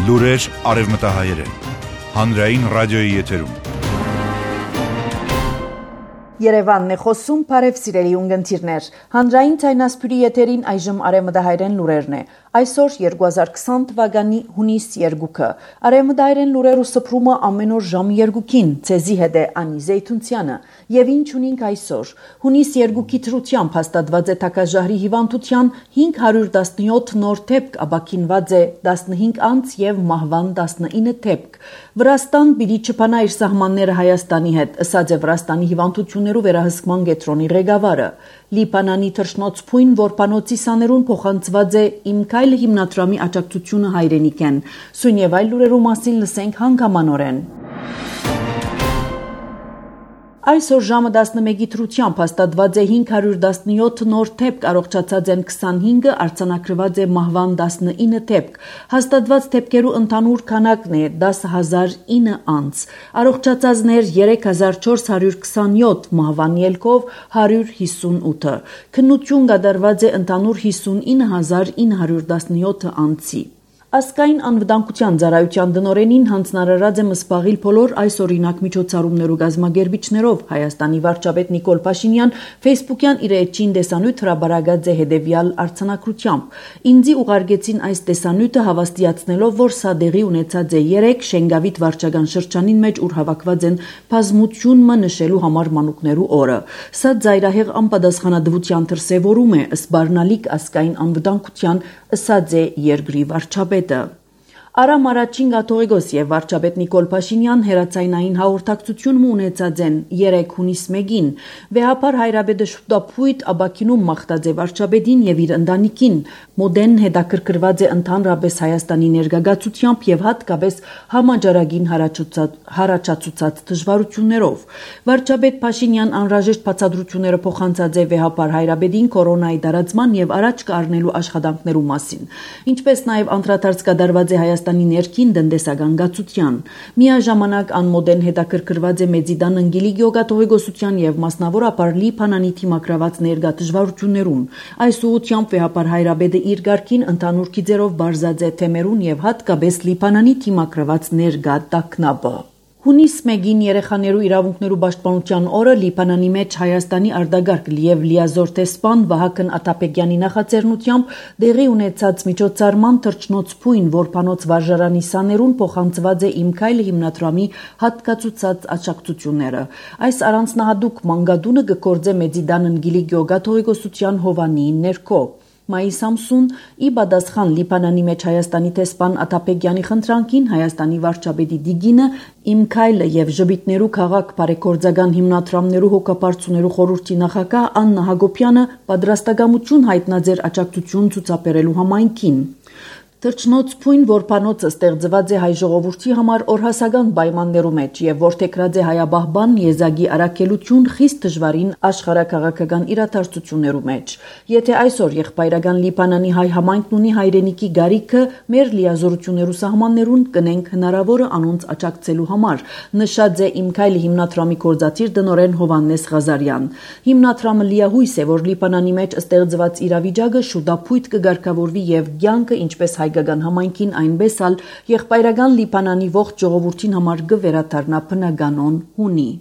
Լուրեր արևմտահայերեն։ Հանրային ռադիոյի եթերում։ Երևանն է խոսում, բարև սիրելի ունգընտիրներ։ Հանրային ցայնասպյուրի եթերին այժմ արևմտահայերեն լուրերն է։ Այսօր 2020 թվականի հունիս 2-ը։ Արևմտահայերեն լուրերու սփռումը ամեն օր ժամը 2-ին։ Ցեզի հետ է Անի Զեյթունցյանը։ Եվ ինչ ունենք այսօր։ Հունիս 2-ի դրությամբ հաստատված է Թակազհարի հիվանդության 517 նոր դեպք, ապաքինված է 15 անց եւ մահվան 19 դեպք։ Վրաստան պիտի չփանա իր սահմանները Հայաստանի հետ, ըսած է Վրաստանի հիվանդություններու վերահսկման կենտրոնի ղեկավարը։ Լիբանանի թռչնոցփույն որբանոցի սաներուն փոխանցված է Իմ քայլը հիմնադրամի աջակցությունը հայրենիքեն։ Սույն եւ այլ լուրերու մասին լսենք հանգամանորեն։ Այսօր ժամը 11-ի դրությամբ հաստատված է 517 նոր դեպք, առողջացած են 25-ը, արձանագրված է մահվան 19 դեպք։ Հաստատված դեպքերու ընդհանուր քանակն է 10,009 անց։ Առողջացածներ 3427, մահվան ելքով 158-ը։ Քննություն կատարված է ընդհանուր 59917 անցի։ Ասկային անվտանգության ծառայության տնօրենին հանձնարարած է սպաղիլ բոլոր այս օրինակ միջոցառումներու գազմագերբիչներով։ Հայաստանի վարչապետ Նիկոլ Փաշինյան Facebook-յան իր էջին տեսանյութ հրաբարացած է հետևյալ արձանագրությամբ. Ինձի ուղարկեցին այս տեսանյութը հավաստիացնելով, որ սա դեղի ունեցած է 3 Շենգավիթ վարչական շրջանին մեջ, ուր հավաքված են բազմությունը նշելու համար մանուկներու օրը։ Սա ծայրահեղ անպատասխանատվության դրսևորում է, սպառնալիք ասկային անվտանգության, ըսած է երկրի վարչապետ։ Արամ առաջին կաթողիկոս եւ վարչապետ Նիկոլ Փաշինյան հերացայնային հաղորդակցություն ունեցած են 3 հունիս 1-ին։ Վեհապար հայրաբեդը շուտապույտ աբակինում մաղթած է վարչապետին եւ իր ընտանիքին։ Մոդեն հետաքրքրված է ընդհանրապես Հայաստանի ներգաղացությամբ եւ հատկապես համաճարակին հարաճացուցած դժվարություններով։ Վարչապետ Փաշինյան անհրաժեշտ բացատրությունները փոխանցած է վեհապար հայրաբեդին կորոնայի տարածման եւ առաջ կառնելու աշխատանքներու մասին, ինչպես նաեւ անդրադարձ կատարված է Հայաստանի ներքին տնտեսական գացության։ Միաժամանակ անմոդեն հետաքրքրված է Մեծիդան Անգելիկիո կաթողիկոսության եւ մասնավորապես Լիբանանի թիմակրաված ներգա դժվարություններուն։ Այս ուղղությամբ վեհապար հայրաբեդը իր ղարքին ընդհանուր գիծերով բարձած է թեմերուն եւ հատկապես Լիբանանի թիմակրաված ներգա տագնապը։ Հունիս 1-ին երեխաներու իրավունքներու պաշտպանության օրը Լիբանանի մեջ Հայաստանի արտագաղթ եւ լիազոր տեսփան Վահագն Աթապեգյանի նախաձեռնությամբ դեղի ունեցած միջոցառման թռչնոցփույն որբանոց վարժարանի սաներուն փոխանցված է Իմ քայլը հիմնադրամի հատկացուցած աջակցությունները։ Այս առանձնահատուկ մանգադունը կգործե Մեծիդան Անգելիկիո կաթողիկոսության Հովանիի ներքո։ Մայիս ամսուն ի պատասխան Լիբանանի մեջ Հայաստանի տեսփան Աթապեգյանի խնդրանքին Հայաստանի վարչապետի դիգինը Իմ քայլը եւ ժպիտներու քաղաք բարեգործական հիմնադրամներու հոգապարծուներու խորհրդի նախագահ Աննա Հակոբյանը պատրաստակամություն հայտնած էր աջակցություն ցուցաբերելու համայնքին։ Թռչնոցփույն որբանոցը ստեղծված է հայ ժողովրդի համար օրհասական պայմաններու մեջ եւ որթեքրած է հայաբահբան եզակի առաքելություն խիստ դժվարին աշխարհակաղակական իրադարձություններու մեջ։ Եթե այսօր եղբայրական Լիբանանի հայ համայնքն ունի հայրենիքի գարիքը, մեր լիազորություններու սահմաններուն կնենք հնարավորը անոնց աջակցելու համար, նշած է Իմ քայլը հիմնադրամի գործադիր տնօրեն Հովհաննես Ղազարյան։ Հիմնադրամը լիահույս է, որ Լիբանանի մեջ ստեղծված իրավիճակը շուտապույտ կգարկավորվի եւ կյանքը ինչպես հայկական համայնքին այնպես ալ եղբայրական Լիբանանի ողջ ժողովրդին համար կվերադառնա բնականon հունի։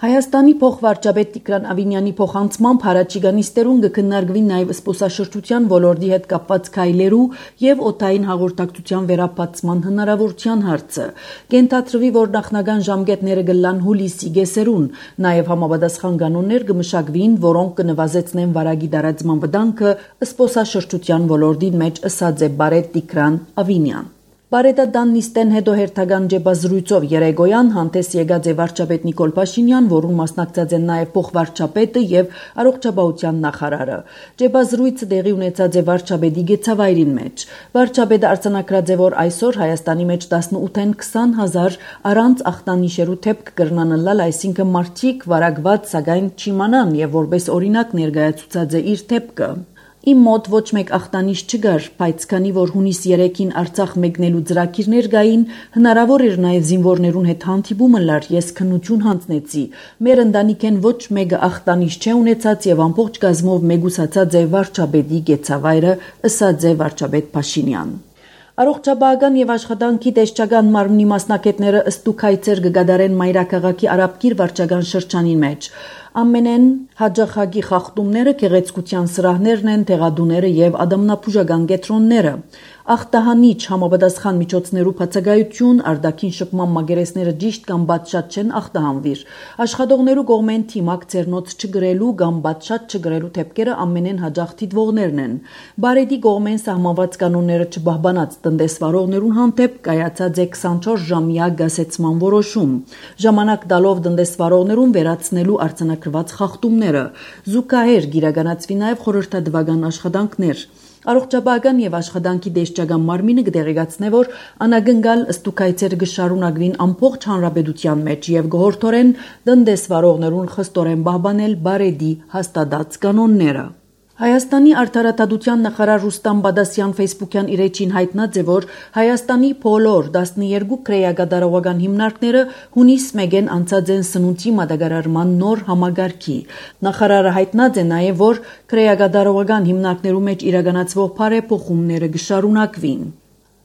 Հայաստանի փոխվարչապետ Տիգրան Ավինյանի փոխանցմամբ հարաճիգանիստերուն կքննարկվի նաև սպոսաշրջության ոլորտի հետ կապված քայլերու եւ օդային հաղորդակցության վերապացման հնարավորության հարցը։ Կենթադրվի, որ նախնական ժամկետները կլան հուլիսի գեսերուն, նաև համապատասխան կանոններ կմշակվին, որոնք կնվազեցնեն վարակի տարածման վտանգը սպոսաշրջության ոլորտին մեջ, ըսած է բարետ Տիգրան Ավինյան։ Բարետադան նիստեն հետո հերթական ջեբազրույցով երեգոյան հանդես եկած է վարչապետ Նիկոլ Փաշինյան, որում մասնակցած են նաև փոխվարչապետը եւ առողջապահության նախարարը։ Ջեբազրույցը տեղի ունեցած է վարչապետի գեցավայրին մեջ։ Վարչապետը արձանագրած է, որ այսօր Հայաստանի մեջ 18-ին 20,000 առանց ախտանիշերու դեպք կրնանալալ, այսինքն մարդիկ վարակված, սակայն չիմանան եւ որպես օրինակ ներկայացուցած է իր դեպքը։ Իմ մոտ ոչ մեկ ախտանիշ չգար, բայց քանի որ հունիս 3-ին Արցախ մեկնելու ծրագիրներ գային, հնարավոր էր նաև զինվորներուն հետ հանդիպումը լար, ես քննություն հանձնեցի։ Մեր ընտանիքեն ոչ մեկը ախտանիշ չէ ունեցած եւ ամբողջ գազմով մեգուսացած է վարչապետի գեցավայրը, ըսած է վարչապետ Փաշինյան։ Առողջապահական եւ աշխատանքի տեսչական մարմնի մասնակիցները ըստուքայցեր կգադարեն Մայրաքաղաքի Արաբկիր վարչական շրջանին մեջ։ Ամենեն հաջախագի խախտումները գեղեցկության սրահներն են, տեղադուները եւ ադամնապուժական կետրոնները։ Ախտահանիչ համապատասխան միջոցներու բացակայություն, արտաքին շփման մագերեսները ճիշտ կամ բաց շատ չեն ախտահանվիր։ Աշխատողներու կողմեն թիմակ ցերնոց չգրելու կամ բաց շատ չգրելու թեփքերը ամենեն հաջող դիտվողներն են։ Բարեդի կողմեն սահմանված կանոնները չբահբանած տնտեսվարողներուն հանդեպ կայացած է 24 ժամյա գասեցման որոշում։ Ժամանակ տալով տնտեսվարողներուն վերացնելու արձանագրված խախտումները։ Զուգահեռ գիրականացվի նաև խորհրդատվական աշխատանքներ։ Առողջապահական եւ աշխատանքի դեսչական մարմինը կդեղեկացնե, որ անագնգալ ըստուքայցերը կշարունակվին ամբողջ հանրապետության մեջ եւ գողորթորեն տնտեսվարողներուն խստորեն պահպանել բարեդի հաստատած կանոնները։ Հայաստանի արդարադատության նախարար Ռուստամ Բադասյան Facebook-յան իր էջին հայտնած է, որ Հայաստանի բոլոր 12 քրեագադարողական հիմնարկները հունիս 1-ին անցած են սնունդի մատակարարման նոր համագարքի։ Նախարարը հայտնած է նաև, որ քրեագադարողական հիմնարկներու մեջ իրականացվող բարեփոխումները կշարունակվին։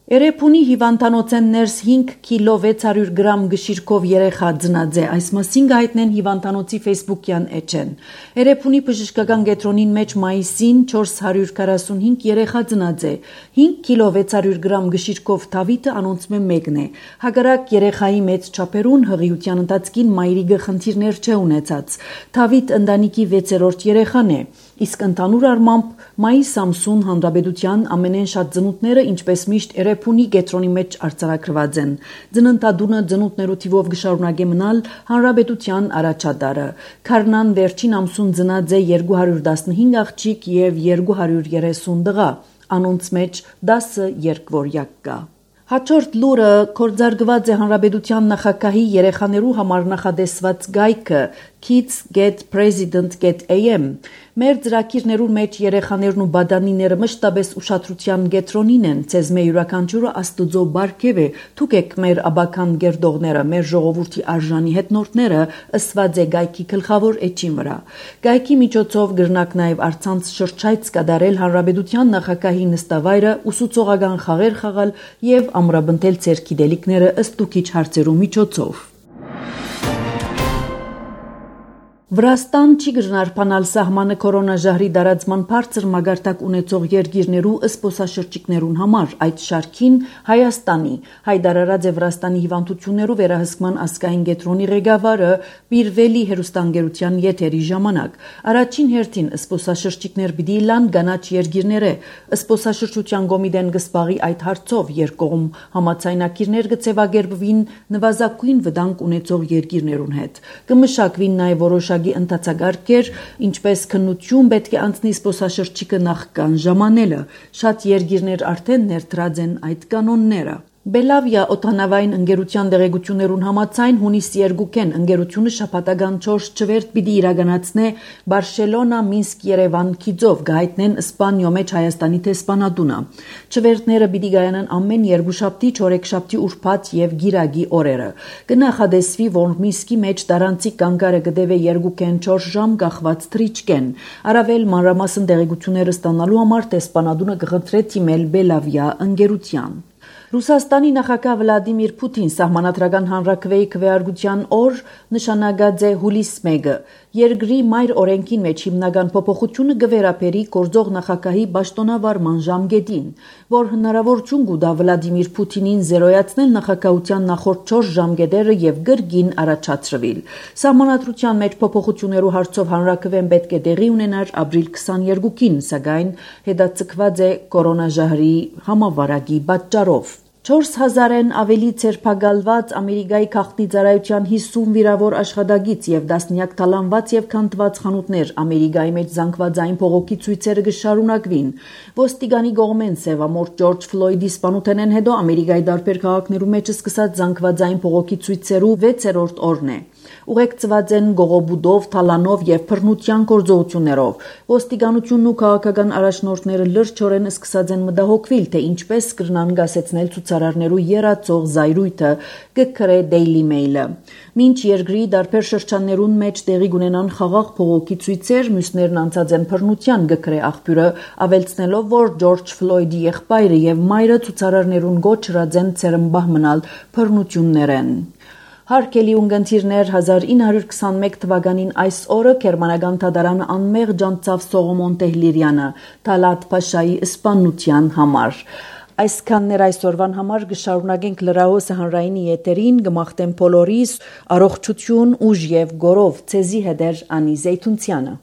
Երեփունի հիվանդանոցեն ներս 5 կիլո 600 գրամ գշիրքով երեխա ծնած է, այս մասին հայտնեն հիվանդանոցի Facebook-յան էջեն։ Երեփունի բժշկական կենտրոնին մեջ մայիսին 445 երեխա ծնած է, 5 կիլո 600 գրամ գշիրքով թավիթը անոնցմե մեկն է։ Հակառակ երեխայի մեծ չափերուն հղիության ընթացքին մայրիկը խնդիրներ չէ ունեցած։ Թավիթ ընտանիքի 6-րդ երեխան է, իսկ ընդհանուր առմամբ մայիս ամսուն հանրապետության ամենեն շատ ծնունդները ինչպես միշտ Երեփունի կենտրոնի մեջ արձանագրված են։ Ծննդադունը ծնունդներու թիվով կշարունակե մնալ հանրապետության առաջատարը։ Քարնան վերջին ամսուն ծնած է 215 աղջիկ եւ 230 տղա, անոնց մեջ 10 երկվորյակ կա։ Հաջորդ լուրը կորձարգված է հանրապետության նախագահի երեխաներու համար նախադեсված գայքը Kids Get President Get AM։ Մեր ծրագիրներու մեջ երեխաներն ու բադանիները մշտապես ուշադրության կենտրոնին են, ցեզ մեր յուրաքանչյուրը աստուծո բարգև է, թուկեք մեր աբական գերդողները, մեր ժողովրդի արժանի հետնորդները, ըսված է գայքի գլխավոր էջին վրա։ Գայքի միջոցով գրնակ նաև արցանց շրջայց կատարել հանրապետության նախագահի նստավայրը, ուսուցողական խաղեր խաղալ եւ ամրապնդել ձեր գիտելիքները ըստուքիչ հարցերու միջոցով։ Վրաստան չի գժնարփանալ սահմանը կորոնաժահրի դարածման բարձր մագարտակ ունեցող երկիրներու ըսպոսաշրջիկներուն համար, այդ շարքին Հայաստանի, հայտարարած է Վրաստանի հիվանդություններու վերահսկման ազգային կենտրոնի ղեկավարը Պիրվելի հերոստանգերության եթերի ժամանակ։ Առաջին հերթին ըսպոսաշրջիկներ պիտի լան կանաչ երկիրները, ըսպոսաշրջության կոմիտեն կսպաղի այդ հարցով երկկողմ համաձայնագիրներ կձևակերպվին նվազագույն վտանգ ունեցող երկիրներուն հետ։ Կմշակվին նաև որոշակի ընթացակարգեր, ինչպես քննություն պետք է անցնի զբոսաշրջիկը նախքան ժամանելը։ Շատ երկիրներ արդեն ներդրած են այդ կանոնները։ Բելավիա օդանավային ընկերության դեղեցություններուն համաձայն հունիս 2-ին ընկերությունը շաբաթական 4 չվերթ պիտի իրականացնե Բարսելոնա, Մինսկ, Երևան քիծով գայտնեն Իսպանիո մեջ Հայաստանի տեսփանատունը։ Չվերթները պիտի գայանան ամեն երկուշաբթի, չորեքշաբթի, ուրբաթ եւ գիրագի օրերը։ Կնախադեсվի, որ Մինսկի մեջ տարանցիկ կանգարը կդեվե 2-ին 4 ժամ կախված թրիչկեն։ Առավել մանրամասն դեղեցությունները ստանալու համար տեսփանատունը կխնդրե թիմել Բելավիա ընկերության։ Ռուսաստանի նախագահ Վլադիմիր Պուտին սահմանադրական հանրաքվեի քվեարկության օր նշանակած է հուլիս 1-ը։ Երկրի մայր օրենքին մեջ հիմնական փոփոխությունը կվերապերի գործող նախագահի պաշտոնավարման ժամկետին, որ հնարավորություն կտա Վլադիմիր Պուտինին զերոյացնել նախագահության նախորդ 4 ժամկետերը եւ գրգին առաջացրվել։ Սահմանադրության մեջ փոփոխություններու հարցով հանրաքվեն պետք է տեղի ունենար ապրիլ 22-ին, սակայն հետաձգված է կորոնաժահրի համավարակի պատճառով։ 4000-ն ավելի ցերպակալված Ամերիկայի քաղաքնի ծառայության 50 վիրավոր աշխատակից եւ դասնյակ թալանված եւ քանդված խանութներ Ամերիկայի մեջ զանգվածային փողոքի ցույցերը կշարունակվին։ Ոստիգանի կողմեն սևամորթ Ջորջ Ֆլոյդի սպանութենեն հետո Ամերիկայի տարբեր քաղաքներու մեջ սկսած զանգվածային փողոքի ցույցերու 6-րդ օրն է։ ուղեկցված են գողոբուդով, թալանով եւ բռնության գործողություններով։ Ոստիկանությունն ու քաղաքական առաջնորդները լրջորեն սկսած են մտահոգվել, թե ինչպես կրնան գասեցնել ցուցարարներու երացող զայրույթը, գկրե Daily Mail-ը։ Մինչ երկրի դարբեր շրջաններուն մեջ տեղի կունենան խաղաղ փողոքի ցույցեր, մյուսներն անցած են բռնության, գկրե աղբյուրը, ավելցնելով, որ Ջորջ Ֆլոյդի եղբայրը եւ մայրը ցուցարարներուն գոչրած են ցերմբահ մնալ բռնություններեն։ Հարկելի ունգընթիրներ 1921 թվականին այս օրը Գերմանական դատարանը անմեղ ջանցավ Սողոմոն Տեհլիրյանը Թալատ Փաշայի սպանության համար։ Այսքաններ այսօրվան համար կշարունակենք լրահոսը հանրայինի եթերին, կմաղթեմ բոլորիս առողջություն, ուժ եւ գորով ցեզի հետեր Անի Զեյթունցյանը։